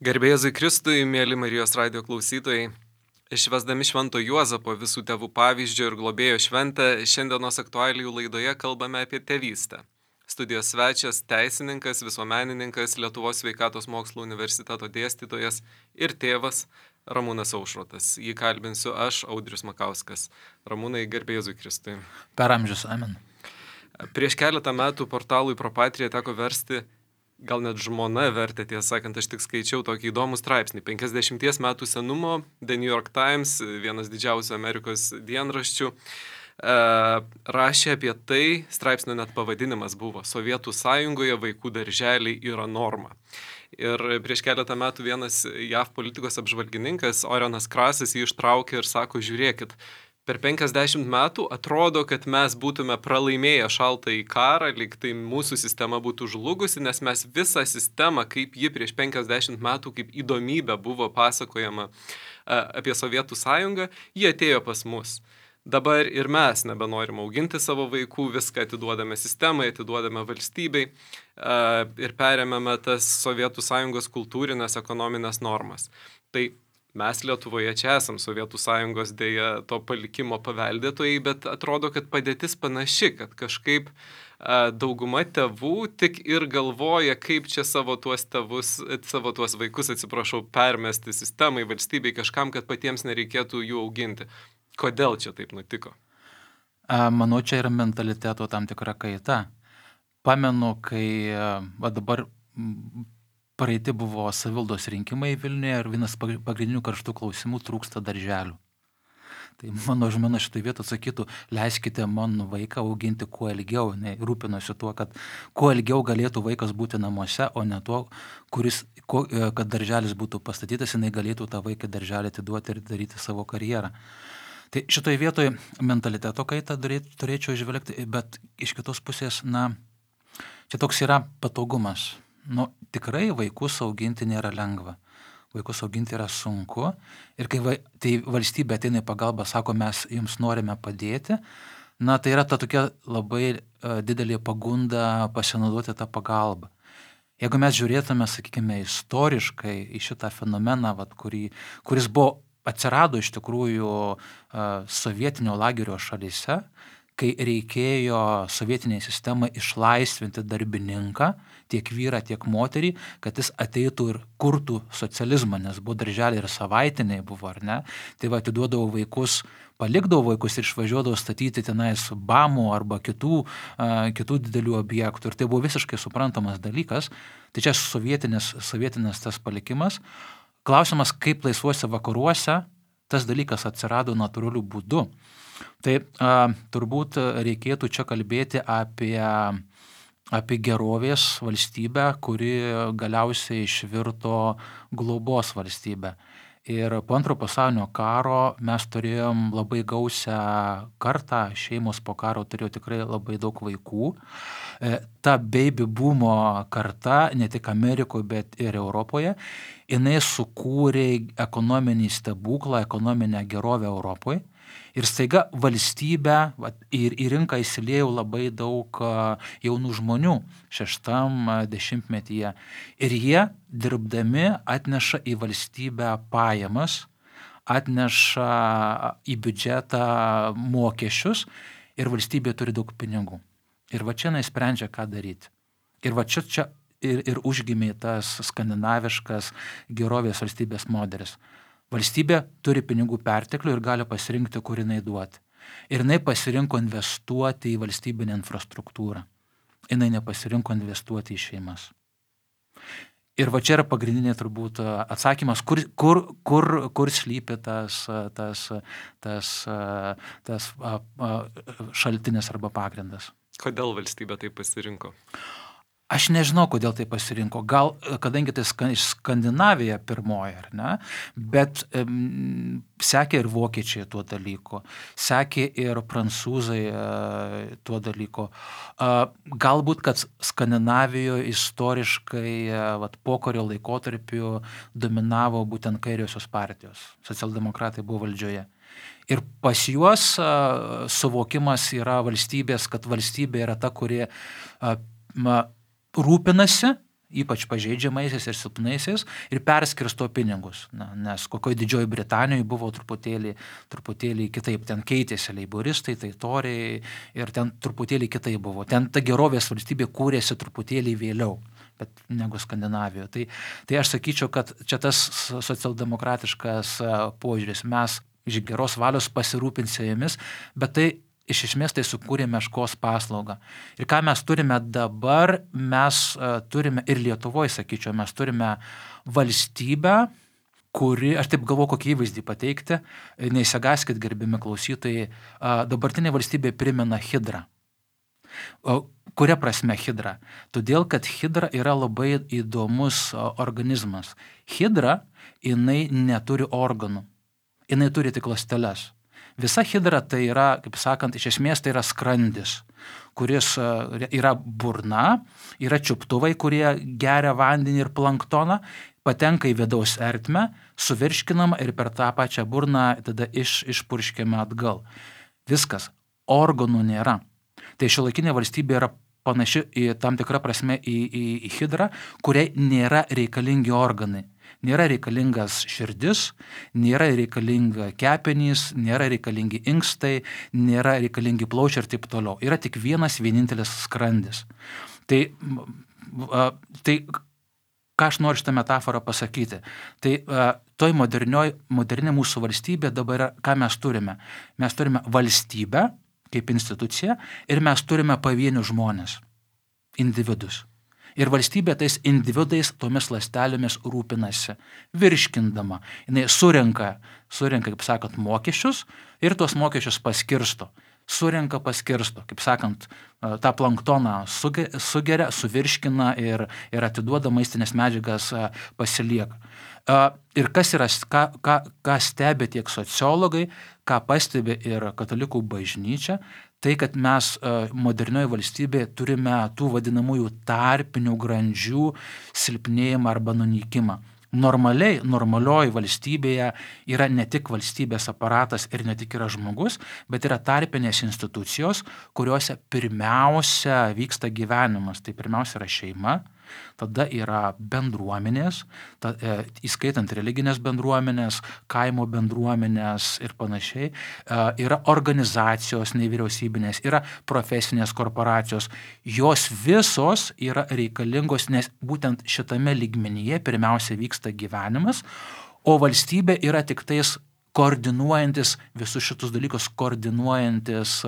Garbė Jėzui Kristui, mėly Marijos radijo klausytojai, švęsdami Švento Juozapo visų tėvų pavyzdžio ir globėjo šventę, šiandienos aktualijų laidoje kalbame apie tėvystę. Studijos svečias, teisininkas, visuomenininkas, Lietuvos sveikatos mokslo universiteto dėstytojas ir tėvas Ramūnas Aušrotas. Jį kalbinsiu aš, Audrius Makauskas. Ramūnai, garbė Jėzui Kristui. Per amžius, amen. Prieš keletą metų portalui Propatria teko versti, gal net žmona vertė, tiesą sakant, aš tik skaičiau tokį įdomų straipsnį. 50 metų senumo, The New York Times, vienas didžiausių Amerikos dienraščių, rašė apie tai, straipsnio net pavadinimas buvo Sovietų sąjungoje vaikų darželiai yra norma. Ir prieš keletą metų vienas JAV politikos apžvalgininkas, Orenas Krasas, jį ištraukė ir sako, žiūrėkit, per 50 metų atrodo, kad mes būtume pralaimėję šaltąjį karą, lyg tai mūsų sistema būtų žlugusi, nes mes visą sistemą, kaip ji prieš 50 metų, kaip įdomybė buvo pasakojama apie Sovietų sąjungą, ji atėjo pas mus. Dabar ir mes nebenorim auginti savo vaikų, viską atiduodame sistemai, atiduodame valstybei ir perėmėme tas Sovietų sąjungos kultūrinės, ekonominės normas. Tai mes Lietuvoje čia esam Sovietų sąjungos dėja to palikimo paveldėtojai, bet atrodo, kad padėtis panaši, kad kažkaip dauguma tėvų tik ir galvoja, kaip čia savo tuos vaikus, permesti sistemai, valstybei, kažkam, kad patiems nereikėtų jų auginti. Kodėl čia taip nutiko? Manau, čia yra mentaliteto tam tikra kaita. Pamenu, kai dabar praeiti buvo savivaldos rinkimai Vilniuje ir vienas pagrindinių karštų klausimų trūksta darželių. Tai mano žmona šitoj vietoj atsakytų, leiskite mano vaiką auginti kuo ilgiau, rūpinosi tuo, kad kuo ilgiau galėtų vaikas būti namuose, o ne tuo, kad darželis būtų pastatytas, jinai galėtų tą vaiką darželį atiduoti ir daryti savo karjerą. Tai šitoj vietoj mentaliteto kaitą turėčiau žvelgti, bet iš kitos pusės, čia toks yra patogumas. Tikrai vaikus auginti nėra lengva. Vaikus auginti yra sunku. Ir kai tai valstybė ateina į pagalbą, sako, mes jums norime padėti, tai yra ta tokia labai didelė pagunda pasinaudoti tą pagalbą. Jeigu mes žiūrėtume, sakykime, istoriškai į šitą fenomeną, kuris atsirado iš tikrųjų sovietinio lagerio šalyse, kai reikėjo sovietiniai sistemai išlaisvinti darbininką, tiek vyrą, tiek moterį, kad jis ateitų ir kurtų socializmą, nes buvo darželiai ir savaitiniai buvo, ar ne? Tai atiduodavo vaikus, palikdavo vaikus ir išvažiuodavo statyti tenais BAMų arba kitų didelių objektų. Ir tai buvo visiškai suprantamas dalykas. Tai čia sovietinis tas palikimas. Klausimas, kaip laisvuose vakaruose tas dalykas atsirado natūraliu būdu. Tai turbūt reikėtų čia kalbėti apie gerovės valstybę, kuri galiausiai išvirto globos valstybę. Ir po Antro pasaulinio karo mes turėjom labai gausią kartą, šeimos po karo turėjo tikrai labai daug vaikų. Ta baby boomo karta, ne tik Amerikoje, bet ir Europoje, jinai sukūrė ekonominį stebuklą, ekonominę gerovę Europoje. Ir staiga valstybė ir į rinką įsiliejo labai daug jaunų žmonių 60-metyje. Ir jie, dirbdami, atneša į valstybę pajamas, atneša į biudžetą mokesčius ir valstybė turi daug pinigų. Ir čia sprendžia, ką daryti. Ir čia ir užgimė tas skandinaviškas gerovės valstybės modelis. Valstybė turi pinigų perteklių ir gali pasirinkti, kur jinai duoti. Ir jinai pasirinko investuoti į valstybinę infrastruktūrą. Jinai nepasirinko investuoti į šeimas. Ir čia yra pagrindinė turbūt atsakymas, kur slypi tas šaltinis arba pagrindas. Kodėl valstybė tai pasirinko? Aš nežinau, kodėl tai pasirinko. Gal, kadangi tai Skandinavija pirmoji, ar ne? Bet sekė ir vokiečiai tuo dalyku, sekė ir prancūzai tuo dalyku. Galbūt, kad Skandinavijoje istoriškai pokario laikotarpiu dominavo būtent kairiosios partijos. Socialdemokratai buvo valdžioje. Ir pas juos suvokimas yra valstybės, kad valstybė yra ta, kuri rūpinasi ypač pažeidžiamaisiais ir silpnaisiais, ir perskirsto pinigus. Nes kokioje Didžioji Britanijoje buvo truputėlį kitaip, ten keitėsi leiboristai, tai toriai, ir ten truputėlį kitaip buvo. Ten ta gerovės valstybė kūrėsi truputėlį vėliau, bet negu Skandinavijoje. Tai aš sakyčiau, kad čia tas socialdemokratiškas požiūris. Mes iš geros valios pasirūpinsime jomis, bet tai iš esmės tai sukūrė meškos paslaugą. Ir ką mes turime dabar, mes turime ir Lietuvoje, sakyčiau, mes turime valstybę, kuri, aš taip galvoju, kokį įvaizdį pateikti, neįsigaskit, gerbimi klausytojai, dabartinė valstybė primena hidrą. Kuria prasme hidra? Todėl, kad hidra yra labai įdomus organizmas. Hidra, jinai neturi organų, jinai turi tik ląsteles. Visa hidra tai yra, kaip sakant, iš esmės tai yra skrandis, kuris yra burna, yra čiuptuvai, kurie geria vandenį ir planktoną, patenka į vidaus ertmę, suvirškinama ir per tą pačią burną tada išpurškiama atgal. Viskas, organų nėra. Tai šiuolaikinė valstybė yra panaši į tam tikrą prasme į hidrą, kuriai nėra reikalingi organai. Nėra reikalingas širdis, nėra reikalinga kepenys, nėra reikalingi inkstai, nėra reikalingi plaučiai ir taip toliau. Yra tik vienintelis skrandis. Tai ką aš noriu šitą metaforą pasakyti? Tai toj moderni mūsų valstybė dabar yra, ką mes turime? Mes turime valstybę kaip instituciją ir mes turime pavienių žmonės, individus. Ir valstybė tais individais, tomis ląstelėmis rūpinasi, virškindama. Jinai surenka, kaip sakant, mokesčius ir tuos mokesčius paskirsto. Paskirsto, kaip sakant, tą planktoną sugeria, suvirškina ir atiduoda maistinės medžiagas pasilieka. Ir kas yra, ką stebi tiek sociologai, ką pastebi ir katalikų bažnyčia, tai, kad mes modernioje valstybėje turime tų vadinamųjų tarpinių grandžių silpnėjimą arba nunykimą. Normalioji valstybėje yra ne tik valstybės aparatas ir ne tik yra žmogus, bet yra tarpinės institucijos, kuriuose pirmiausia vyksta gyvenimas. Tai pirmiausia yra šeima, tada yra bendruomenės, įskaitant religinės bendruomenės, kaimo bendruomenės ir panašiai, yra organizacijos nevyriausybinės, yra profesinės korporacijos. Jos visos yra reikalingos, nes būtent šitame lygmenyje pirmiausia vyksta gyvenimas, o valstybė yra tik tais koordinuojantis visus šitus dalykus, koordinuojantis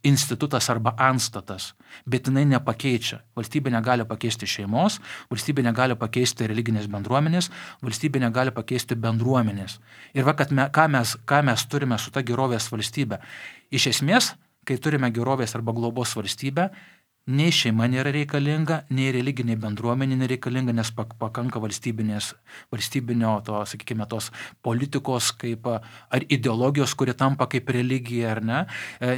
institutas arba antstatas, bet jinai nepakeičia. Valstybė negali pakeisti šeimos, valstybė negali pakeisti religinės bendruomenės, valstybė negali pakeisti bendruomenės. Ir ką mes turime su ta gerovės valstybė? Iš esmės, kai turime gerovės arba globos valstybę, nei šeima nėra reikalinga, nei religinė bendruomenė nereikalinga, nes pakanka valstybinio sakykime, tos politikos kaip, ar ideologijos, kuri tampa kaip religija, ar ne.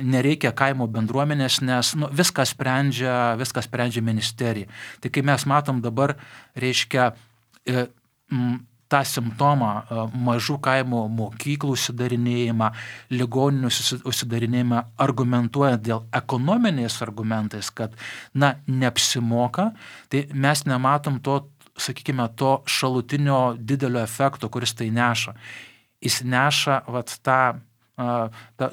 Nereikia kaimo bendruomenės, nes viską sprendžia ministerija. Tai kai mes matom dabar, reiškia, tą simptomą mažų kaimo mokyklų užsidarinėjimą, ligoninių užsidarinėjimą, argumentuojant dėl ekonominiais argumentais, kad, neapsimoka, tai mes nematom to, sakykime, to šalutinio didelio efekto, kuris tai neša. Jis neša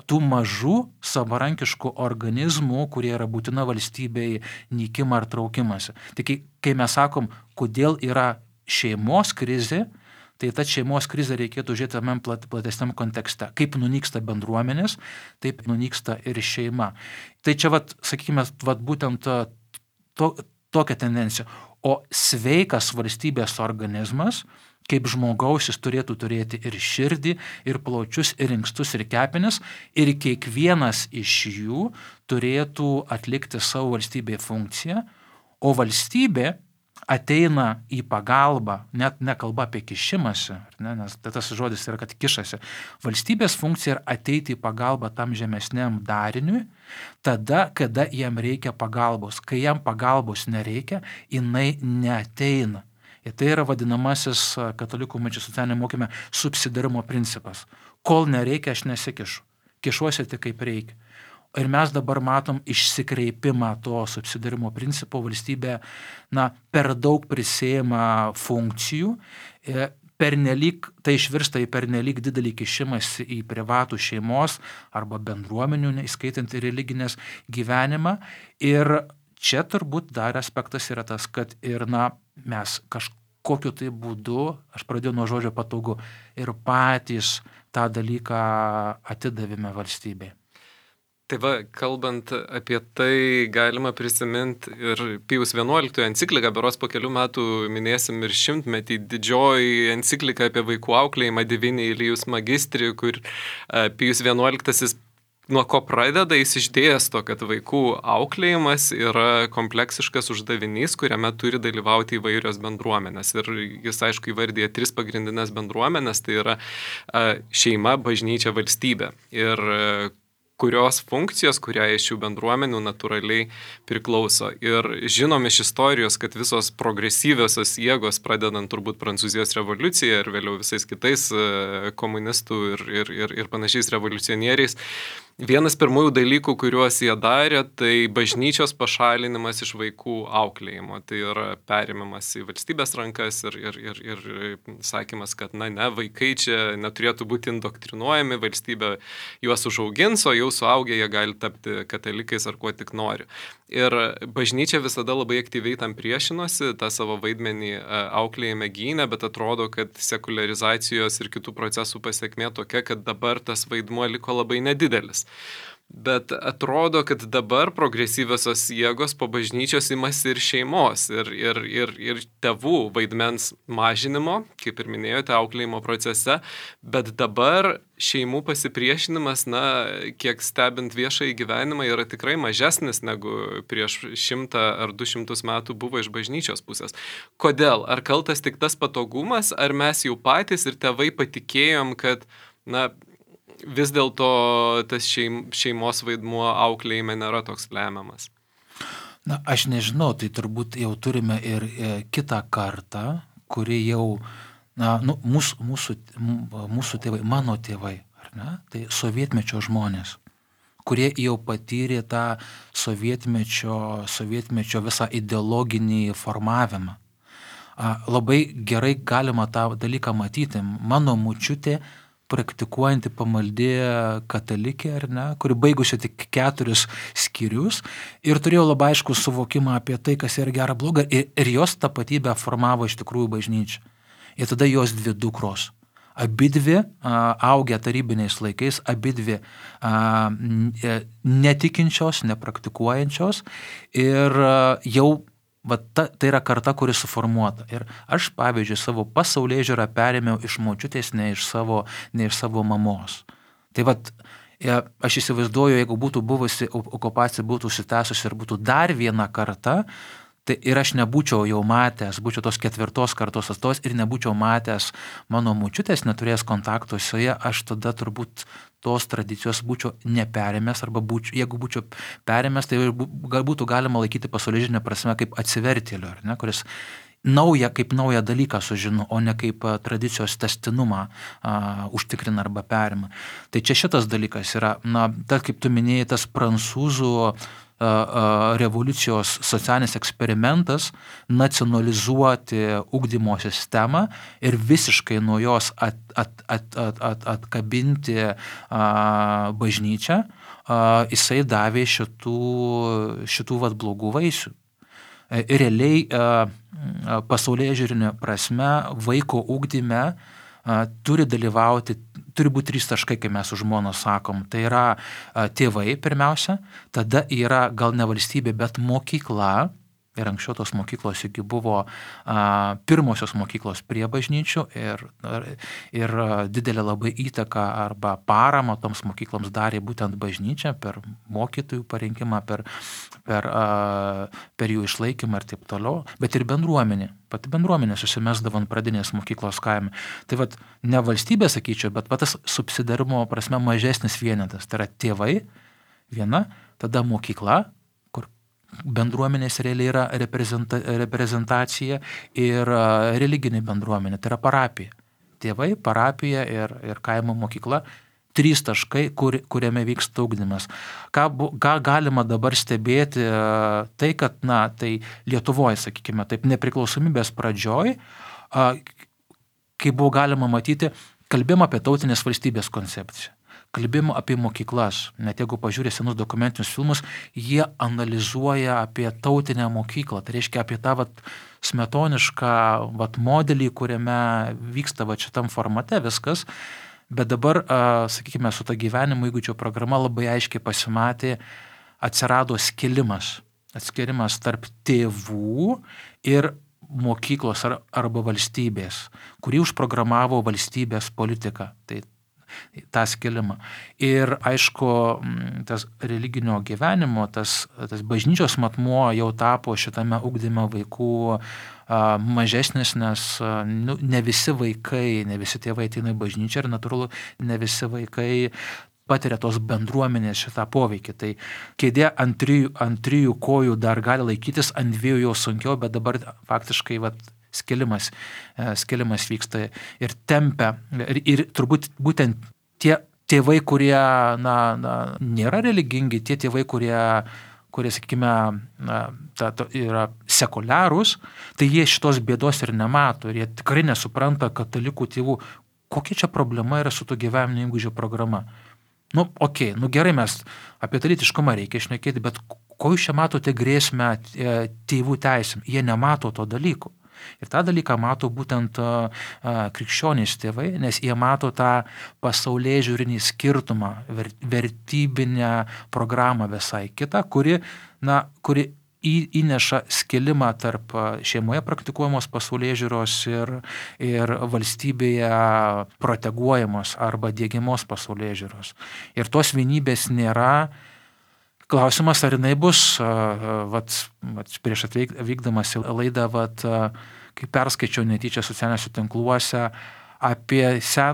tų mažų savarankiškų organizmų, kurie yra būtina valstybei nykimą ar traukimąsi. Tai kai mes sakom, kodėl yra šeimos krizė, tai ta šeimos krizę reikėtų žiūrėti tame platesniam kontekste. Kaip nunyksta bendruomenės, taip nunyksta ir šeima. Tai čia, sakykime, būtent tokia tendencija. O sveikas valstybės organizmas, kaip žmogaus, jis turėtų turėti ir širdį, ir plaučius, ir inkstus, ir kepenis, ir kiekvienas iš jų turėtų atlikti savo valstybėje funkciją, o valstybė ateina į pagalbą, net nekalba apie kišimąsi, nes tas žodis yra, kad kišasi. Valstybės funkcija yra ateiti į pagalbą tam žemesniam dariniui, tada, kada jam reikia pagalbos. Kai jam pagalbos nereikia, jinai neateina. Ir tai yra vadinamasis katalikų socialinėme mokyme subsidiarumo principas. Kol nereikia, aš nesikišu. Kišuosi tik kaip reikia. ir mes dabar matom išsikreipimą to subsidiarumo principo, valstybė per daug prisėma funkcijų, tai išvirsta į pernelyg didelį kišimąsi į privatų šeimos arba bendruomenių, įskaitant ir religinės gyvenimą. Ir čia turbūt dar aspektas yra tas, kad ir mes kažkokiu tai būdu, aš pradėjau nuo žodžio patogu, ir patys tą dalyką atidavėme valstybei. Tai va, kalbant apie tai, galima prisiminti ir Pijus XI encikliką, beros po kelių metų minėsim ir 100-metį, didžioji enciklika apie vaikų auklėjimą Divini Ilijus Magistri, kur Pijus XI nuo ko pradeda, jis išdėsto, kad vaikų auklėjimas yra kompleksiškas uždavinys, kuriame turi dalyvauti įvairios bendruomenės. Ir jis, aišku, įvardė 3 pagrindinės bendruomenės, tai yra šeima, bažnyčia, valstybė. Ir kurios funkcijos, kuriai iš šių bendruomenių natūraliai priklauso. Ir žinom iš istorijos, kad visos progresyviosios jėgos, pradedant turbūt Prancūzijos revoliuciją ir vėliau visais kitais komunistų ir panašiais revoliucionieriais, vienas pirmųjų dalykų, kuriuos jie darė, tai bažnyčios pašalinimas iš vaikų auklėjimo. Tai yra perimimas į valstybės rankas ir sakymas, kad vaikai čia neturėtų būti indoktrinuojami, valstybė juos užaugins, o jau suaugę jie gali tapti katalikais ar kuo tik nori. Ir bažnyčia visada labai aktyviai tam priešinosi, tą savo vaidmenį auklėjime gynė, bet atrodo, kad sekularizacijos ir kitų procesų pasekmė tokia, kad dabar tas vaidmuo liko labai nedidelis. Bet atrodo, kad dabar progresyviosios jėgos po bažnyčios imasi ir šeimos, ir tėvų vaidmens mažinimo, kaip ir minėjote, auklėjimo procese, bet dabar šeimų pasipriešinimas, kiek stebint viešąjį gyvenimą, yra tikrai mažesnis negu prieš 100 ar 200 metų buvo iš bažnyčios pusės. Kodėl? Ar kaltas tik tas patogumas, ar mes jau patys ir tėvai patikėjom, kad, vis dėlto tas šeimos vaidmuo auklėjime nėra toks lemiamas? Aš nežinau, tai turbūt jau turime ir kitą kartą, kuri jau, mūsų tėvai, mano tėvai, ar ne? Tai sovietmečio žmonės, kurie jau patyrė tą sovietmečio visą ideologinį formavimą. Labai gerai galima tą dalyką matyti. Mano močiutė praktikuojanti pamaldė katalikė, ar ne, kuri baigusi tik 4 skyrius ir turėjo labai aišku suvokimą apie tai, kas yra gera bloga, ir jos tapatybę formavo iš tikrųjų bažnyčia. Ir tada jos 2 dukros. Abidvi augę tarybiniais laikais, abidvi netikinčios, nepraktikuojančios ir jau tai yra karta, kuri suformuota. Ir aš, pavyzdžiui, savo pasaulėžiūrą perėmiau iš močiutės, ne iš savo mamos. Tai aš įsivaizduoju, jeigu būtų buvusi okupacija, būtų užsitęsusi ir būtų dar viena karta, tai ir aš nebūčiau jau matęs, būčiau tos 4 kartos atstovas ir nebūčiau matęs mano močiutės, neturėjęs kontakto su ja, aš tada turbūt tos tradicijos būčiau neperėmęs, arba jeigu būčiau perėmęs, tai būtų galima laikyti pasaulėžinę prasme kaip atsivertėliu, ar ne, kuris kaip naują dalyką sužino, o ne kaip tradicijos testinumą užtikrina arba perima. Tai čia šitas dalykas yra, kaip tu minėjai, tas prancūzų revoliucijos socialinis eksperimentas nacionalizuoti ugdymo sistemą ir visiškai nuo jos atkabinti bažnyčią, jisai davė šitų blogų vaisių. Realiai pasaulėžiūrinė prasme vaiko ugdyme turi būti 3 taškai, kai mes su žmona sakom. Tai yra tėvai pirmiausia, tada yra gal ne valstybė, bet mokykla. Ir anksčiau tos mokyklos iki buvo pirmosios mokyklos prie bažnyčių ir didelė labai įtaka arba parama toms mokykloms darė būtent bažnyčia per mokytojų parinkimą, per jų išlaikymą ir taip toliau, bet ir bendruomenė. Pati bendruomenė susimesdavo ant pradinės mokyklos kaime. Tai ne valstybė, sakyčiau, bet tas subsidiarumo prasme mažesnis vienetas. Tai yra tėvai viena, tada mokykla, bendruomenės realiai yra reprezentacija ir religinė bendruomenė, tai yra parapija. Tėvai, parapija ir kaimo mokykla. 3 taškai, kuriame vyksta ugdymas. Ką galima dabar stebėti, tai kad, tai Lietuvoje, sakykime, taip nepriklausomybės pradžioj, kai buvo galima matyti, kalbėjom apie tautinės valstybės koncepciją. Kalbėjimo apie mokyklas, net jeigu pažiūrė senus dokumentinius filmus, jie analizuoja apie tautinę mokyklą, tai reiškia apie tą smetonišką modelį, kuriame vyksta šitam formate viskas, bet dabar, sakykime, su ta gyvenimo įgūdžio programa labai aiškiai pasimatė, atsirado atskirimas tarp tėvų ir mokyklos arba valstybės, kurį užprogramavo valstybės politika. Tai tą skilimą. Ir aišku, tas religinio gyvenimo, tas bažnyčios matmuo jau tapo šitame ugdyme vaikų mažesnis, nes ne visi vaikai, ne visi tėvai ateina į bažnyčią ir natūralu, ne visi vaikai patiria tos bendruomenės šitą poveikį. Tai kėdė ant trijų kojų dar gali laikytis, ant 2 jau sunkiau, bet dabar faktiškai skilimas vyksta ir tempia. Ir turbūt būtent tie tėvai, kurie nėra religingi, tie tėvai, kurie sakykime, yra sekuliarūs, tai jie šitos bėdos ir nemato. Ir jie tikrai nesupranta katalikų tėvų, kokia čia problema yra su to gyvenimo įgūdžio programa. Gerai, mes apie lytiškumą reikia šnekėti, bet ko jūs čia matote grėsmę tėvų teisėm? Jie nemato to dalyko. Ir tą dalyką mato būtent krikščionys tėvai, nes jie mato tą pasaulėžiūrinį skirtumą, vertybinę programą visai kitą, kuri įneša skilimą tarp šeimoje praktikuojamos pasaulėžiūros ir valstybėje proteguojamos arba diegiamos pasaulėžiūros. Ir tos vienybės nėra. Klausimas, ar jinai bus, prieš atvykdamas į laidą, kai perskaičiau netyčia socialiniuose tinkluose apie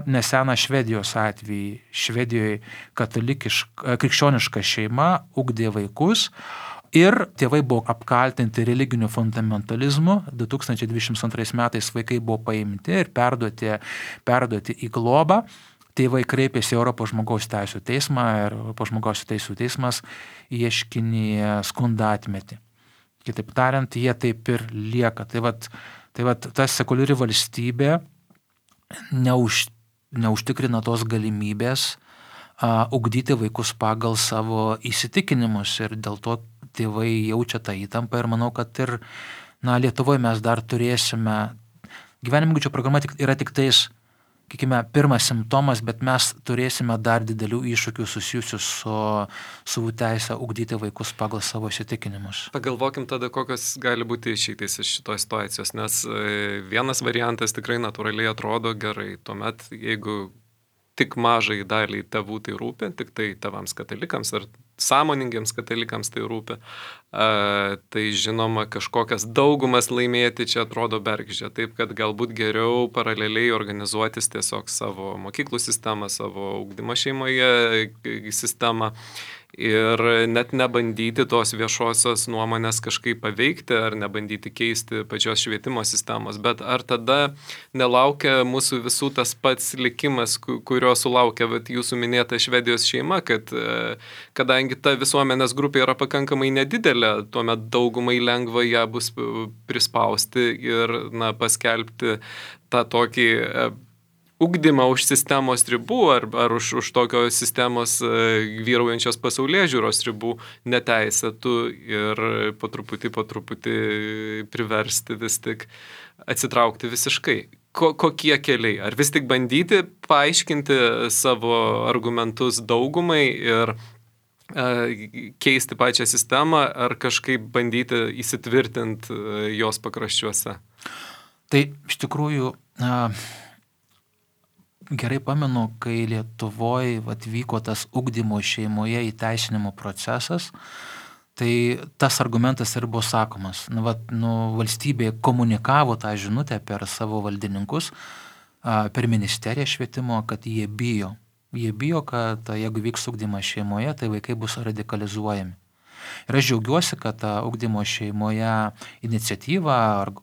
neseną Švedijos atvejį. Švedijoje krikščioniška šeima ugdė vaikus ir tėvai buvo apkaltinti religiniu fundamentalizmu. 2022 metais vaikai buvo paimti ir perduoti į globą. Tėvai kreipėsi į Europos žmogaus teisų teismą ir Europos žmogaus teisų teismas ieškinį skundą atmetė. Kitaip tariant, jie taip ir lieka. Tai ta sekuliari valstybė neužtikrina tos galimybės ugdyti vaikus pagal savo įsitikinimus ir dėl to tėvai jaučia tą įtampą ir manau, kad ir Lietuvoje mes dar turėsime, gyvenimo įgūdžio programa yra tik tais, pirmas simptomas, bet mes turėsime dar didelių iššūkių susijusių su teisę ugdyti vaikus pagal savo įsitikinimus. Pagalvokim tada, kokios gali būti išeitis iš šitos situacijos, nes vienas variantas tikrai natūraliai atrodo gerai. Tuomet, jeigu tik mažai daliai tėvų tai rūpi, tik tai tėvams katalikams ar sąmoningiems katalikams tai rūpi, tai žinoma kažkokias daugumas laimėti čia atrodo bergždžia, taip kad galbūt geriau paraleliai organizuotis tiesiog savo mokyklų sistemą, savo ugdymo šeimoje sistemą ir net nebandyti tos viešosios nuomonės kažkaip paveikti ar nebandyti keisti pačios švietimo sistemos, bet ar tada nelaukia mūsų visų tas pats likimas, kurio sulaukia jūsų minėta Švedijos šeima, kad kadangi ta visuomenės grupė yra pakankamai nedidelė, tuomet daugumai lengva ją bus prispausti ir paskelbti tą tokį ugdymą už sistemos ribų ar už tokios sistemos vyraujančios pasaulėžiūros ribų neteisėtų ir po truputį priversti vis tik atsitraukti visiškai. Kokie keliai? Ar vis tik bandyti paaiškinti savo argumentus daugumai ir keisti pačią sistemą ar kažkaip bandyti įsitvirtinti jos pakraščiuose? Tai iš tikrųjų gerai pamenu, kai Lietuvoje vyko tas ugdymo šeimoje įteisinimo procesas, tai tas argumentas ir buvo sakomas. Valstybė komunikavo tą žinutę per savo valdininkus, per ministeriją švietimo, kad jie bijo. Jie bijo, kad jeigu vyks ugdymas šeimoje, tai vaikai bus radikalizuojami. Ir aš džiaugiuosi, kad ta ugdymo šeimoje iniciatyva,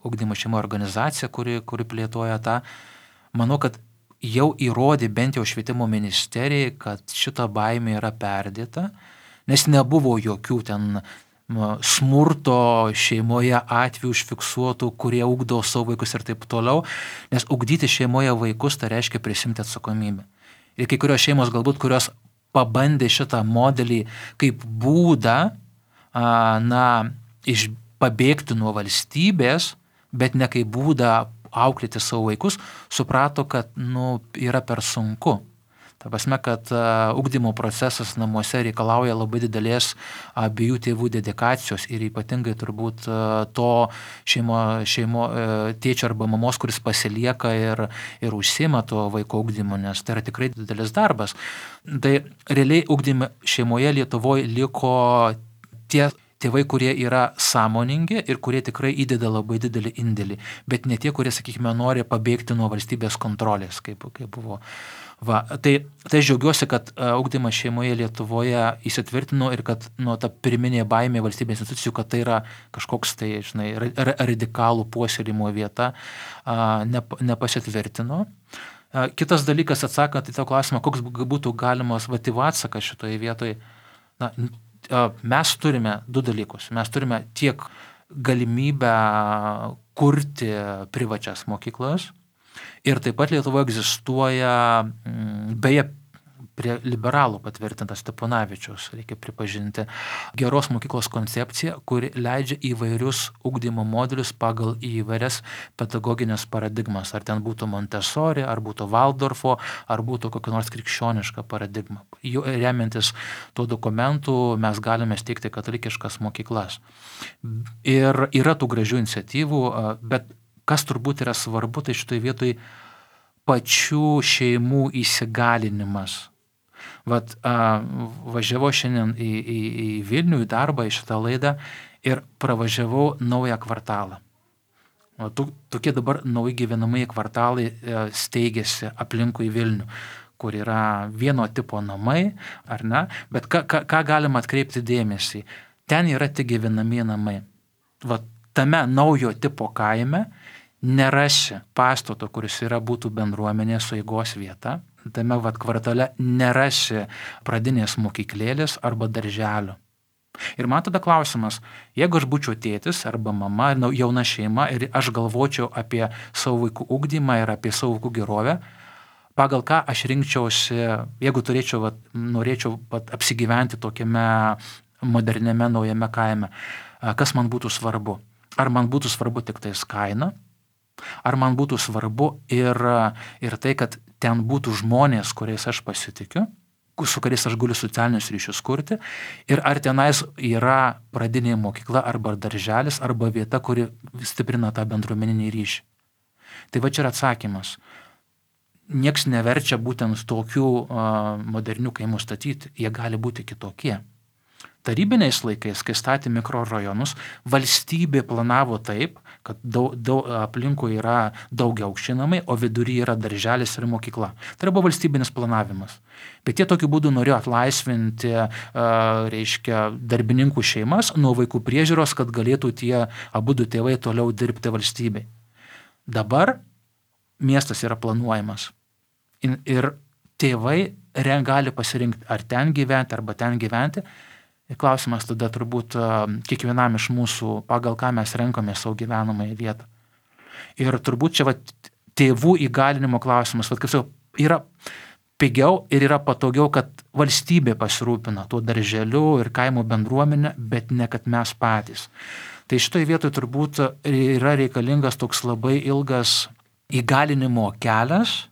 ugdymo šeimo organizacija, kuri plėtoja tą, manau, kad jau įrodė bent jau švietimo ministerijai, kad šita baimė yra perdėta, nes nebuvo jokių ten smurto šeimoje atvejų užfiksuotų, kurie ugdo savo vaikus ir taip toliau, nes ugdyti šeimoje vaikus tai reiškia prisimti atsakomybę. Ir kai kurios šeimos galbūt, kurios pabandė šitą modelį kaip būdą, pabėgti nuo valstybės, bet ne kaip būdą auklėti savo vaikus, suprato, kad yra per sunku. Ta prasme, kad ugdymo procesas namuose reikalauja labai didelės abiejų tėvų dedikacijos ir ypatingai turbūt to tėčio arba mamos, kuris pasilieka ir užsiima to vaiko ugdymo, nes tai yra tikrai didelis darbas. Tai realiai ugdyme šeimoje Lietuvoje liko tie tėvai, kurie yra sąmoningi ir kurie tikrai įdeda labai didelį indėlį, bet ne tie, kurie, sakykime, nori pabėgti nuo valstybės kontrolės, kaip buvo. Tai džiaugiuosi, kad ugdymas šeimoje Lietuvoje įsitvirtino ir kad ta pirminė baimė valstybės institucijų, kad tai yra kažkoks radikalų puoselėjimo vieta, nepasitvirtino. Kitas dalykas, atsakant į tą klausimą, koks būtų galimas atsakas šitoje vietoje, mes turime du dalykus. Mes turime tiek galimybę kurti privačias mokyklas ir taip pat Lietuvoje egzistuoja, beje, prie liberalų patvirtintas Steponavičiaus, reikia pripažinti, geros mokyklos koncepcija, kuri leidžia įvairius ugdymo modelius pagal įvairias pedagoginės paradigmas. Ar ten būtų Montessori, ar būtų Valdorfo, ar būtų kokia nors krikščioniška paradigma. Remiantis tuo dokumentu mes galime steigti katalikiškas mokyklas. Ir yra tų gražių iniciatyvų, bet kas turbūt yra svarbu, tai šitoje vietoje pačių šeimų įsigalinimas. Važiavau šiandien į Vilnių, į darbą, į šitą laidą ir pravažiavau naują kvartalą. Tokie dabar nauji gyvenamieji kvartalai steigėsi aplinkui Vilnių, kur yra vieno tipo namai, ar ne? Bet ką galima atkreipti dėmesį? Ten yra tik gyvenamieji namai. Tame naujo tipo kaime nerasi pastato, kuris būtų bendruomenės sueigos vieta. Tame kvartale nerasi pradinės mokyklėlės arba darželio. Ir man tada klausimas, jeigu aš būčiau tėtis arba mama, jauna šeima ir aš galvočiau apie savo vaikų ugdymą ir apie savo vaikų gerovę, pagal ką aš rinkčiausi, jeigu norėčiau apsigyventi tokiame moderniame naujame kaime, kas man būtų svarbu? Ar man būtų svarbu tik tais kaina? Ar man būtų svarbu ir tai, kad ten būtų žmonės, kuriais aš pasitikiu, su kuriais aš galiu socialinius ryšius kurti, ir ar tenais yra pradinė mokykla arba darželis arba vieta, kuri stiprina tą bendruomeninį ryšį. Tai čia yra atsakymas. Niekas neverčia būtent tokių modernių kaimų statyti, jie gali būti kitokie. Tarybiniais laikais, kai statė mikrorajonus, valstybė planavo taip, kad aplinkui yra daugiaaukščiai namai, o vidury yra darželis ir mokykla. Tai buvo valstybinis planavimas. Bet jie tokiu būdu norėjo atlaisvinti, darbininkų šeimas nuo vaikų priežiūros, kad galėtų tie abudu tėvai toliau dirbti valstybei. Dabar miestas yra planuojamas. Ir tėvai gali pasirinkti, ar ten gyventi, arba ten gyventi. Ir klausimas tada turbūt kiekvienam iš mūsų, pagal ką mes renkame savo gyvenamąją vietą. Ir turbūt čia tėvų įgalinimo klausimas, yra pigiau ir yra patogiau, kad valstybė pasirūpina tuo darželiu ir kaimo bendruomenė, bet ne kad mes patys. Tai šitoje vietoje turbūt yra reikalingas toks labai ilgas įgalinimo kelias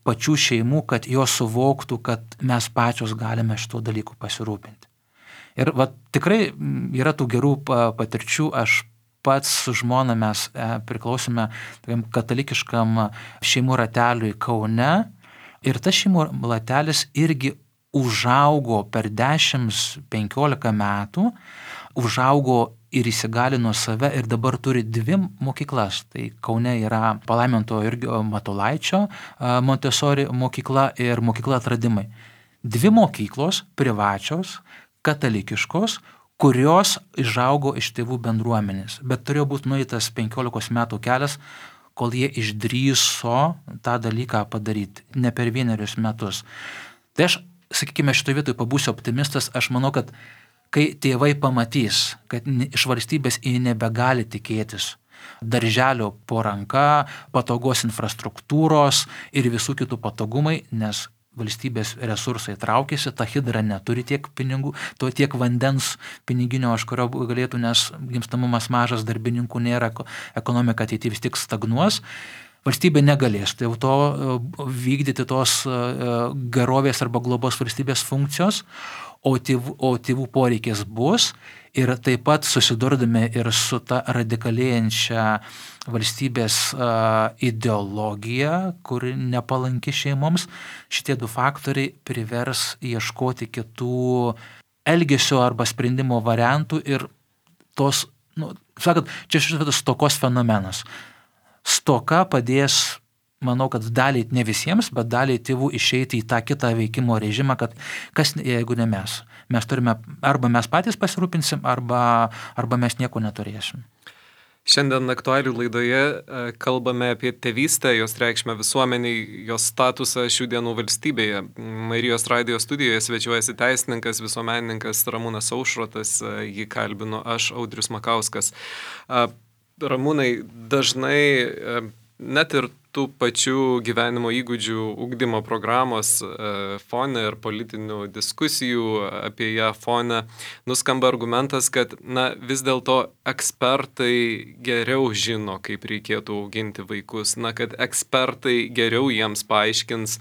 pačių šeimų, kad jos suvoktų, kad mes pačios galime šito dalykų pasirūpinti. Ir tikrai yra tų gerų patirčių. Aš pats su žmona mes priklausome katalikiškam šeimų rateliui Kaune. Ir tas šeimų ratelis irgi užaugo per 10-15 metų, užaugo ir įsigalino save ir dabar turi 2 mokyklas. Tai Kaune yra palaiminto Jurgio Matulaičio Montessori mokykla ir mokykla Atradimai. 2 mokyklos privačios, katalikiškos, kurios išaugo iš tėvų bendruomenės. Bet turėjo būti nueitas 15 metų kelias, kol jie išdrįso tą dalyką padaryti, ne per 1 metus. Tai aš, sakykime, šitoje vietoje pabūsiu optimistas, aš manau, kad kai tėvai pamatys, kad iš valstybės jie nebegali tikėtis darželio po ranka, patogos infrastruktūros ir visų kitų patogumai, nes valstybės resursai traukiasi, ta hidra neturi tiek pinigų, to tiek vandens piniginio, aš kurio galėtų, nes gimstamumas mažas, darbininkų nėra, ekonomika ateityje vis tik stagnuos. Valstybė negalės dėl to vykdyti tos gerovės arba globos valstybės funkcijos, o tėvų poreikis bus ir taip pat susidurdami ir su ta radikalėjančia valstybės ideologija, kuri nepalanki šeimoms, šitie 2 faktoriai privers ieškoti kitų elgesio arba sprendimo variantų ir tos, sakant, čia šitas stokos fenomenas. Stoka padės, manau, kad daliai, ne visiems, bet daliai tėvų išeiti į tą kitą veikimo režimą, kad kas, jeigu ne mes. Mes turime, arba mes patys pasirūpinsim, arba mes nieko neturėsim. Šiandien aktualių laidoje kalbame apie tėvystę, jos reikšmę visuomeniai, jos statusą šių dienų valstybėje. Marijos radijo studijoje svečiuojasi teisininkas, visuomenininkas Ramūnas Aušrotas, jį kalbinu aš, Audrius Makauskas. Ramūnai, dažnai net ir tų pačių gyvenimo įgūdžių ugdymo programos fone ir politinių diskusijų apie ją fone nuskamba argumentas, kad vis dėlto ekspertai geriau žino, kaip reikėtų auginti vaikus, kad ekspertai geriau jiems paaiškins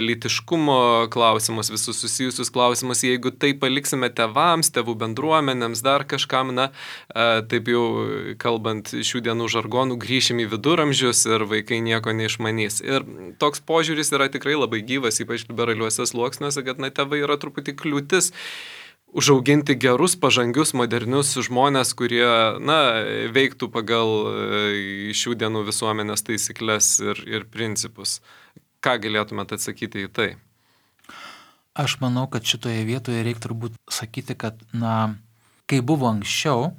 lytiškumo klausimus, visus susijusius klausimus, jeigu tai paliksime tėvams, tėvų bendruomenėms, dar kažkam, taip jau kalbant šių dienų žargonų, grįšim į viduramžius ir vaikai nieko neišmanys. Ir toks požiūris yra tikrai labai gyvas, ypač liberaliuose sluoksniuose, kad tėvai yra truputį kliūtis užauginti gerus, pažangius, modernius žmonės, kurie, veiktų pagal šių dienų visuomenės taisyklės ir principus. Ką galėtumėte atsakyti į tai? Aš manau, kad šitoje vietoje reikia turbūt sakyti, kad, kai buvo anksčiau,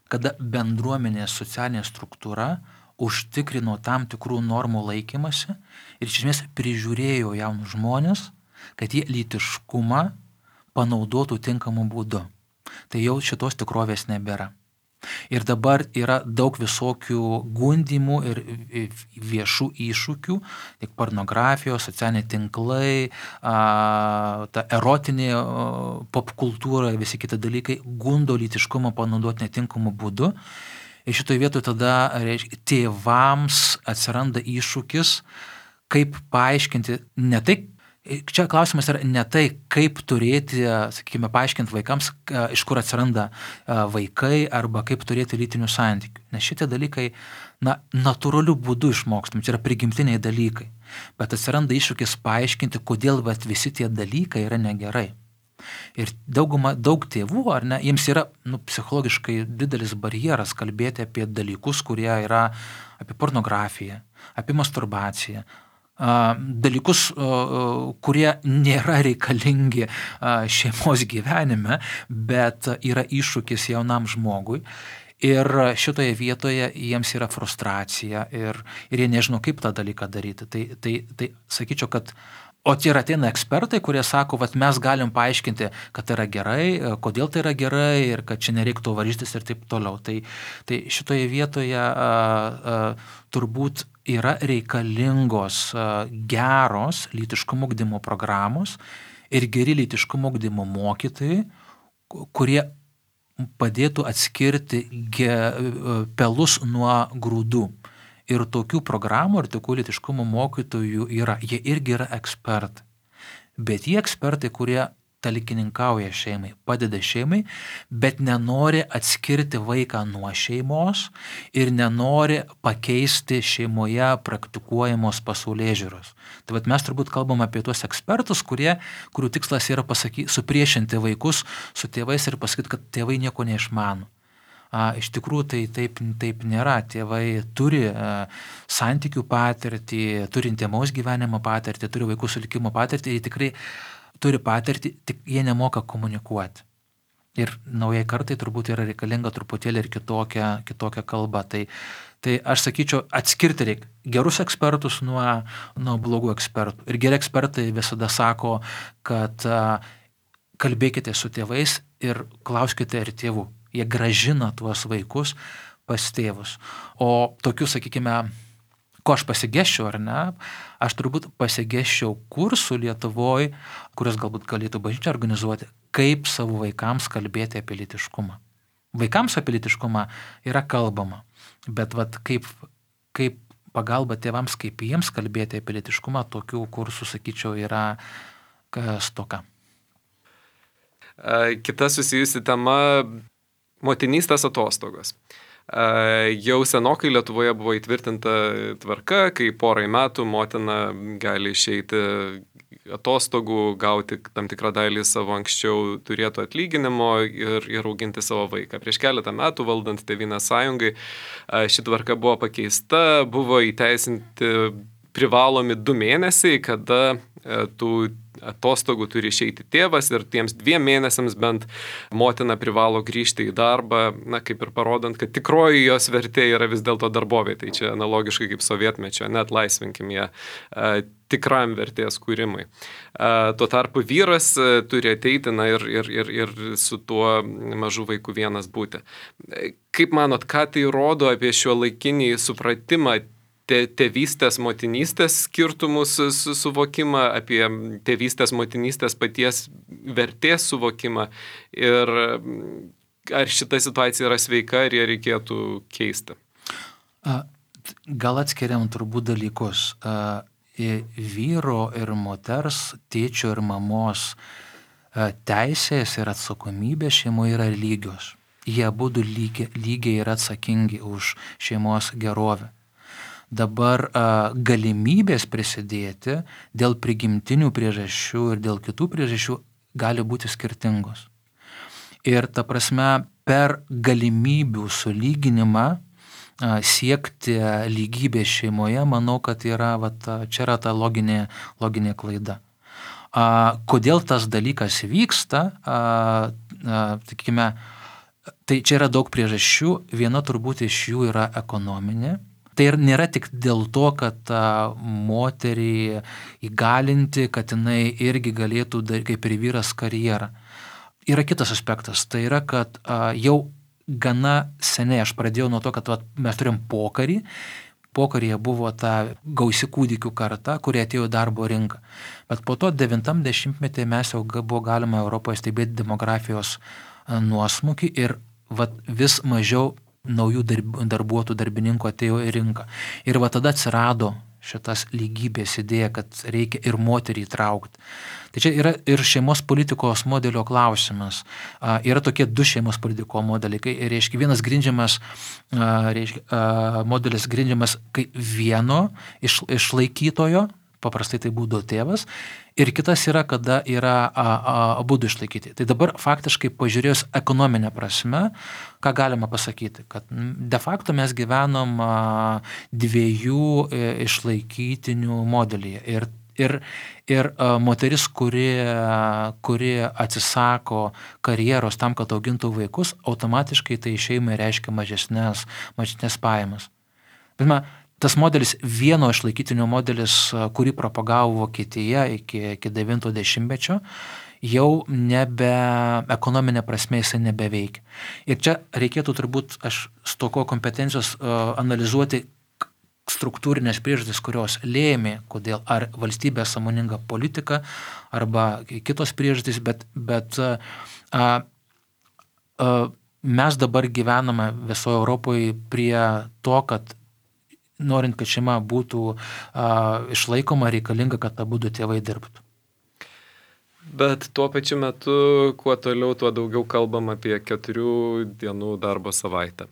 kada bendruomenės socialinė struktūra užtikrino tam tikrų normų laikymasi ir iš esmės prižiūrėjo jaunus žmonės, kad jie lytiškumą panaudotų tinkamu būdu. Tai jau šitos tikrovės nebėra. Ir dabar yra daug visokių gundimų ir viešų iššūkių, tiek pornografijos, socialiniai tinklai, ta erotinė popkultūra, visi kiti dalykai gundo lytiškumą panaudoti netinkamu būdu. Ir šitoje vietoje tada tėvams atsiranda iššūkis, kaip paaiškinti, ne tai, čia klausimas yra ne tai, kaip turėti, sakykime, paaiškinti vaikams, iš kur atsiranda vaikai arba kaip turėti lytinių santykių. Nes šitie dalykai, natūraliu būdu išmokstami, čia yra prigimtiniai dalykai. Bet atsiranda iššūkis paaiškinti, kodėl visi tie dalykai yra negerai. Ir daug tėvų, ar ne, jiems yra psichologiškai didelis barjeras kalbėti apie dalykus, kurie yra apie pornografiją, apie masturbaciją, dalykus, kurie nėra reikalingi šeimos gyvenime, bet yra iššūkis jaunam žmogui. Ir šitoje vietoje jiems yra frustracija ir jie nežino, kaip tą dalyką daryti. Tai sakyčiau, kad o čia ateina ekspertai, kurie sako, mes galim paaiškinti, kad tai yra gerai, kodėl tai yra gerai ir kad čia nereiktų varžytis ir taip toliau. Tai šitoje vietoje turbūt yra reikalingos geros lytiškumo ugdymo programos ir geri lytiškumo ugdymo mokytojai, kurie padėtų atskirti pelus nuo grūdų. Ir tokių programų ir tokių lytiškumo mokytojų yra. Jie irgi yra ekspertai. Bet jie ekspertai, kurie talkininkauja šeimai, padeda šeimai, bet nenori atskirti vaiką nuo šeimos ir nenori pakeisti šeimoje praktikuojamos pasaulėžiūros. Tai mes turbūt kalbam apie tuos ekspertus, kurių tikslas yra supriešinti vaikus su tėvais ir pasakyti, kad tėvai nieko neišmano. Iš tikrųjų tai taip nėra. Tėvai turi santykių patirtį, turi intymaus gyvenimo patirtį, turi vaikų sulikimo patirtį, jie tikrai turi patirtį, tik jie nemoka komunikuoti. Ir naujai kartai turbūt yra reikalinga truputėlį ir kitokia kalba. Tai aš sakyčiau, atskirti reikia gerus ekspertus nuo blogų ekspertų. Ir geri ekspertai visada sako, kad kalbėkite su tėvais ir klauskite ir tėvų. Jie gražina tuos vaikus pas tėvus. O tokių, sakykime, ko aš pasigėščiau ar ne, aš turbūt pasigėščiau kursų Lietuvoje, kurias galbūt galėtų bažnyčia organizuoti, kaip savo vaikams kalbėti apie lytiškumą. Vaikams apie lytiškumą yra kalbama, bet kaip pagalba tėvams, kaip jiems kalbėti apie lytiškumą, tokių kursų, sakyčiau, yra stoka. Kita susijusi tema - motinystės atostogos. Jau senokai Lietuvoje buvo įtvirtinta tvarka, kai porai metų motina gali išeiti atostogų, gauti tam tikrą dalį savo anksčiau turėto atlyginimo ir auginti savo vaiką. Prieš keletą metų valdant Tėvynės sąjungai ši tvarka buvo pakeista, buvo įteisinti privalomi 2 mėnesiai, kada tų atostogų turi išeiti tėvas ir tiems 2 mėnesiams bent motina privalo grįžti į darbą, kaip ir parodant, kad tikroji jos vertė yra vis dėlto darbovietė. Tai čia analogiškai kaip sovietmečio, net laisvinkim ją tikram vertės kūrimui. Tuo tarpu vyras turi ateiti ir su tuo mažu vaiku vienas būti. Kaip manot, ką tai rodo apie šiuolaikinį supratimą tėvystės, motinystės skirtumus suvokimą, apie tėvystės, motinystės paties vertės suvokimą ir ar šita situacija yra sveika, ar ją reikėtų keisti? Gal atskiriam turbūt dalykus. Vyro ir moters, tėčio ir mamos teisės ir atsakomybė šeimoje yra lygios. Jie abudu lygiai yra atsakingi už šeimos gerovę. Dabar galimybės prisidėti dėl prigimtinių priežasčių ir dėl kitų priežasčių gali būti skirtingos. Ir ta prasme, per galimybių sulyginimą siekti lygybės šeimoje, manau, kad čia yra ta loginė klaida. Kodėl tas dalykas vyksta, sakykime, tai čia yra daug priežasčių, viena turbūt iš jų yra ekonominė. Tai ir nėra tik dėl to, kad moterį įgalinti, kad jinai irgi galėtų daryti kaip ir vyras karjerą. Yra kitas aspektas, tai yra, kad jau gana seniai aš pradėjau nuo to, kad mes turim pokarį. Pokaryje buvo ta gausi kūdikių karta, kurie atėjo į darbo rinką. Bet po to 90-metyje mes jau buvo galima Europoje stebėti demografijos nuosmukį ir vis mažiau naujų darbuotojų, darbininkų atėjo į rinką. Ir tada atsirado šitas lygybės idėja, kad reikia ir moterį įtraukti. Tai čia yra ir šeimos politikos modelio klausimas. Yra tokie 2 šeimos politiko modeliai. Reiškia, vienas grindžiamas, modelis grindžiamas kaip vieno išlaikytojo, paprastai tai būdavo tėvas, ir kitas yra, kada yra abudu išlaikyti. Tai dabar faktiškai pažiūrėjus ekonominę prasme, ką galima pasakyti, kad de facto mes gyvenom 2 išlaikytinių modelyje. Ir moteris, kuri atsisako karjeros tam, kad augintų vaikus, automatiškai tai šeimai reiškia mažesnės pajamas. Bet tas modelis, vieno išlaikytinio modelis, kurį propagavo Vokietija iki 90-mečio, jau ekonominė prasme jisai nebeveikia. Ir čia reikėtų turbūt, aš stoko kompetencijos analizuoti struktūrinės priežastis, kurios lėmė, kodėl ar valstybė sąmoninga politika, arba kitos priežastis, bet mes dabar gyvename visoje Europoje prie to, kad norint, kad šeima būtų išlaikoma, reikalinga, kad abudu tėvai dirbtų. Bet tuo pačiu metu, kuo toliau, tuo daugiau kalbam apie 4 dienų darbo savaitę.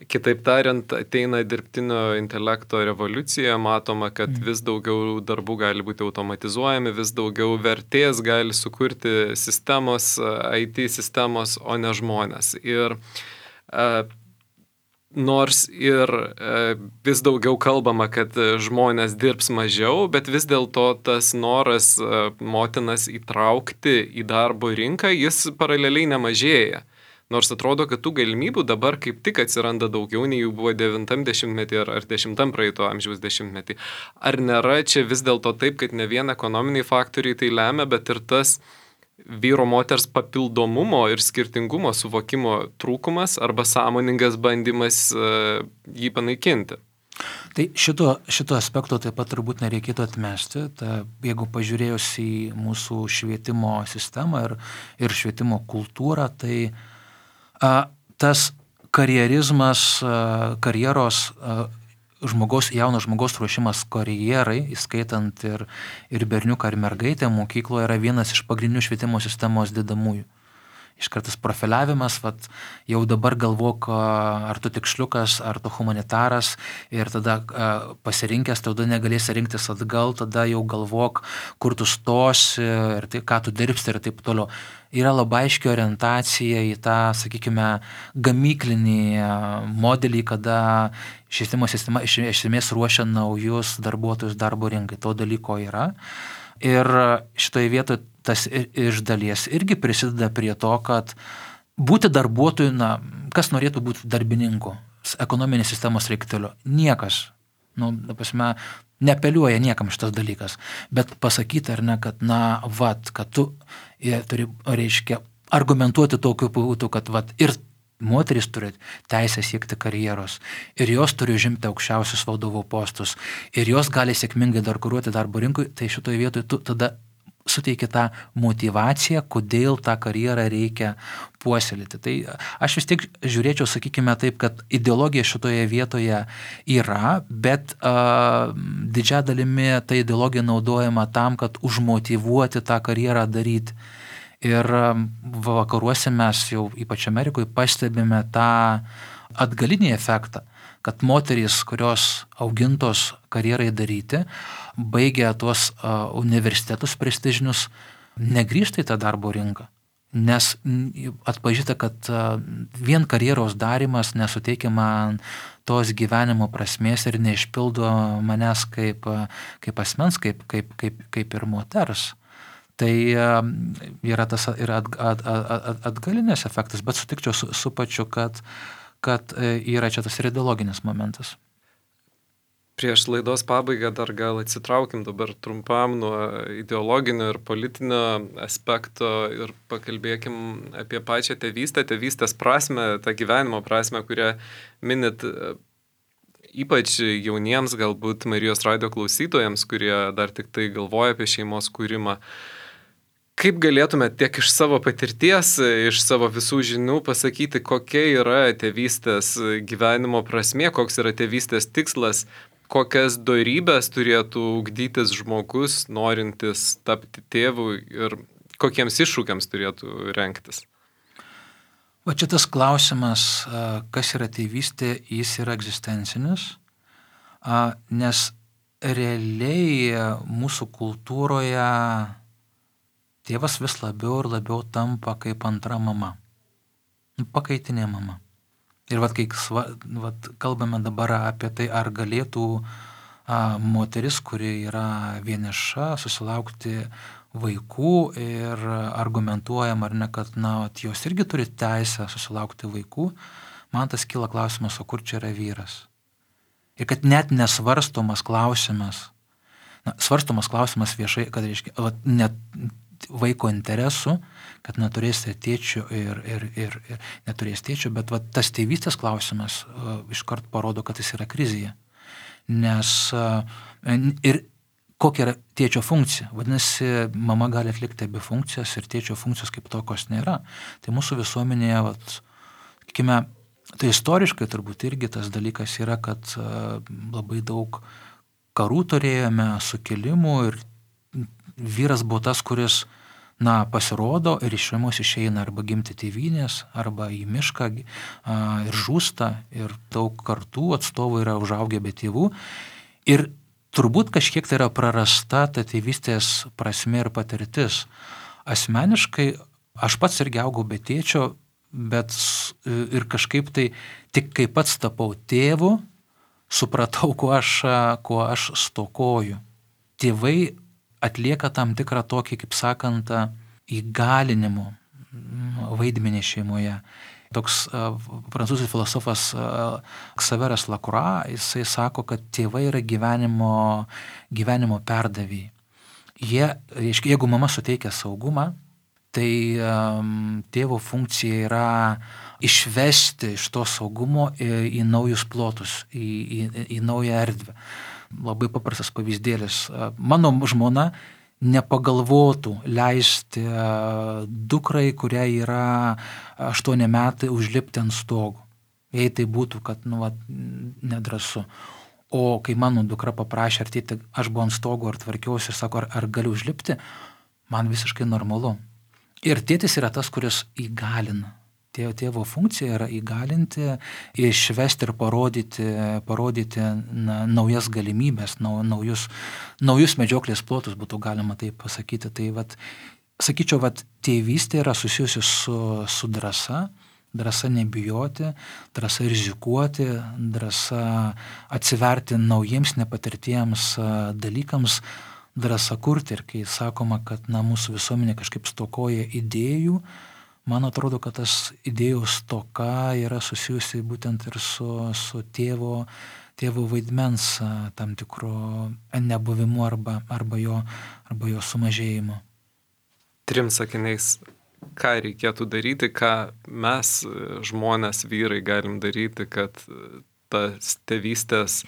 Kitaip tariant, ateina dirbtinio intelekto revoliucija, matoma, kad vis daugiau darbų gali būti automatizuojami, vis daugiau vertės gali sukurti sistemos, IT sistemos, o ne žmonės. Ir Nors ir vis daugiau kalbama, kad žmonės dirbs mažiau, bet vis dėlto tas noras motinas įtraukti į darbo rinką, jis paraleliai nemažėja. Nors atrodo, kad tų galimybių dabar kaip tik atsiranda daugiau, nei jų buvo 90-metį ar 10 praeito amžiaus dešimtmetį. Ar nėra čia vis dėlto taip, kad ne vien ekonominiai faktoriai tai lemia, bet ir tas vyro moters papildomumo ir skirtingumo suvokimo trūkumas arba sąmoningas bandymas jį panaikinti? Tai šito aspekto taip pat turbūt nereikėtų atmesti. Jeigu pažiūrėjus į mūsų švietimo sistemą ir švietimo kultūrą, tai tas karjerizmas, karjeros jauno žmogaus ruošimas karjerai, įskaitant ir berniuką ar mergaitę mokykloje, yra vienas iš pagrindinių švietimo sistemos dedamųjų. Iškartas profiliavimas, jau dabar galvok, ar tu tiksliukas, ar tu humanitaras, ir tada pasirinkęs, tada negalėsi rinktis atgal, tada jau galvok, kur tu stosi, ir tai, ką tu dirbsi ir taip toliau. Yra labai aiški orientacija į tą, sakykime, gamyklinį modelį, kada švietimo sistema iš esmės ruošia naujus darbuotojus darbo rinkai. To dalyko yra. Ir šitoje vietoje tas iš dalies irgi prisideda prie to, kad būti darbuotoju, kas norėtų būti darbininku, ekonominės sistemos reikteliu? Niekas. Neapeliuoja niekam šitas dalykas. Bet pasakyti, ar ne, kad, kad tu turi, reiškia, argumentuoti tokiu būdu, kad, ir moteris turi teisę siekti karjeros, ir jos turi užimti aukščiausius vadovo postus, ir jos gali sėkmingai konkuruoti darbo rinkui, tai šitoje vietoje tu tada suteiki tą motivaciją, kodėl tą karjerą reikia puoselėti. Tai aš vis tiek žiūrėčiau, sakykime taip, kad ideologija šitoje vietoje yra, bet didžia dalimi ta ideologija naudojama tam, kad užmotyvuoti tą karjerą daryti. Ir vakaruose mes jau, ypač Amerikoje, pastebime tą atgalinį efektą, kad moterys, kurios augintos karjerai daryti, baigia tuos universitetus prestižinius, negrįžta į tą darbo rinką, nes atpažįsta, kad vien karjeros darymas nesuteikia man tos gyvenimo prasmės ir neišpildo manęs kaip asmens, kaip ir moters. Tai yra tas atgalinės efektas, bet sutikčiau su pačiu, kad yra čia tas ir ideologinis momentas. Prieš laidos pabaigą dar gal atsitraukim dabar trumpam nuo ideologinio ir politinio aspekto ir pakalbėkim apie pačią tėvystės prasmę, tą gyvenimo prasmę, kurią minit ypač jauniems galbūt Marijos radijo klausytojams, kurie dar tik tai galvoja apie šeimos kūrimą. Kaip galėtume tiek iš savo patirties, iš savo visų žinių pasakyti, kokia yra tėvystės gyvenimo prasmė, koks yra tėvystės tikslas, kokias dorybės turėtų ugdytis žmogus, norintis tapti tėvu ir kokiems iššūkiams turėtų rengtis? Va čia tas klausimas, kas yra tėvystė, jis yra egzistencinis, nes realiai mūsų kultūroje tėvas vis labiau ir labiau tampa kaip antra mama, pakaitinė mama. Ir kai kalbame dabar apie tai, ar galėtų moteris, kuri yra vieniša, susilaukti vaikų ir argumentuojam, ar ne, kad jos irgi turi teisę susilaukti vaikų, man tas kyla klausimas, o kur čia yra vyras? Ir kad net nesvarstomas klausimas, svarstomas klausimas viešai, kad reiškia, net vaiko interesų, kad neturės tėčio ir neturės tėčio, bet tas tėvystės klausimas iškart parodo, kad jis yra krizėje. Nes ir kokia yra tėčio funkcija? Vadinasi, mama gali atlikti abi funkcijas ir tėčio funkcijos kaip tokios nėra. Tai mūsų visuomenėje, sakykime, tai istoriškai turbūt irgi tas dalykas yra, kad labai daug karų turėjome, sukilimų ir vyras buvo tas, kuris pasirodo ir iš šeimos išeina arba gimti tėvynės, arba į mišką ir žūsta, ir daug kartų atstovų yra užaugę be tėvų. Ir turbūt kažkiek tai yra prarasta ta tėvystės prasmė ir patirtis. Asmeniškai, aš pats irgi augau be tėčio, bet ir kažkaip tai tik kai pats tapau tėvu, supratau, ko aš stokoju. Tėvai atlieka tam tikrą tokį, kaip sakant, įgalinimo vaidmenį šeimoje. Toks prancūzų filosofas Xaveras Lacroix, jisai sako, kad tėvai yra gyvenimo perdavėjai. Jeigu mama suteikia saugumą, tai tėvo funkcija yra išvesti iš to saugumo į naujus plotus, į naują erdvę. Labai paprastas pavyzdėlis. Mano žmona nepagalvotų leisti dukrai, kuriai yra 8 metai, užlipti ant stogo. Jei tai būtų, kad nedrąsu. O kai mano dukra paprašė, ar tėti, aš buvau ant stogo, ar tvarkiausi ir sako, ar galiu užlipti, man visiškai normalu. Ir tėtis yra tas, kuris įgalina. Tėvo funkcija yra įgalinti, išvesti ir parodyti naujas galimybės, naujus medžioklės plotus, būtų galima taip pasakyti. Tai sakyčiau, tėvystė yra susijusi su drąsa nebijoti, drąsa rizikuoti, drąsa atsiverti naujiems nepatirtiems dalykams, drąsa kurti. Ir kai sakoma, kad mūsų visuomenė kažkaip stokoja idėjų, man atrodo, kad tas idėjų stoka yra susijusi būtent ir su tėvo vaidmens tam tikro nebuvimu arba jo sumažėjimu. 3 sakiniais, ką reikėtų daryti, ką mes, žmonės, vyrai, galim daryti, kad tas tėvystės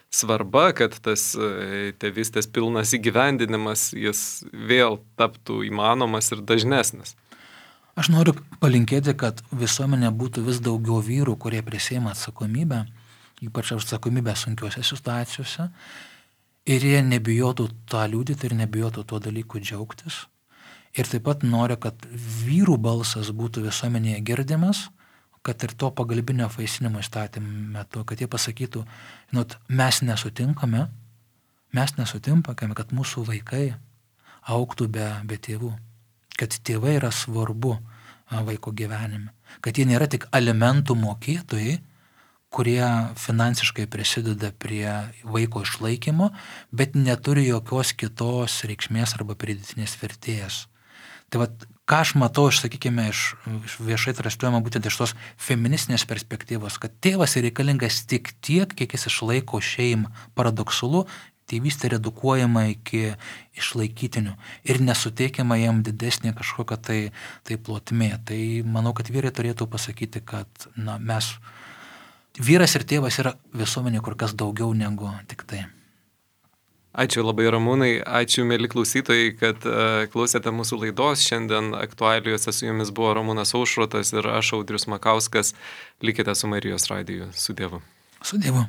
svarba, kad tas tėvystės pilnas įgyvendinimas, jis vėl taptų įmanomas ir dažnesnis. Aš noriu palinkėti, kad visuomenė būtų vis daugiau vyrų, kurie prisiima atsakomybę, ypač atsakomybę sunkiuose situacijose, ir jie nebijotų tą liudyti ir nebijotų tuo dalyku džiaugtis. Ir taip pat noriu, kad vyrų balsas būtų visuomenėje girdimas, kad ir to pagalbinio apvaisinimo įstatymo metu, kad jie pasakytų, mes nesutinkame, kad mūsų vaikai augtų be tėvų. Kad tėvai yra svarbu vaiko gyvenime, kad jie nėra tik alimentų mokėtojai, kurie finansiškai prisideda prie vaiko išlaikymo, bet neturi jokios kitos reikšmės arba pridėtinės vertės. Tai ką aš matau, sakykime, iš viešai transliuojama būtent iš tos feministinės perspektyvos, kad tėvas yra reikalingas tik tiek, kiek jis išlaiko šeimą. Paradoksalu, tėvystė redukuojama iki išlaikytinių ir nesuteikiama jam didesnė kažkokia tai plotmė. Tai manau, kad vyrai turėtų pasakyti, kad vyras ir tėvas yra visuomenė kur kas daugiau negu tik tai. Ačiū labai, Ramūnai, ačiū, mėly klausytojai, kad klausėte mūsų laidos. Šiandien aktualijose su jumis buvo Ramūnas Aušrotas ir aš, Audrius Makauskas. Likite su Marijos radiju. Su Dievu. Su Dievu.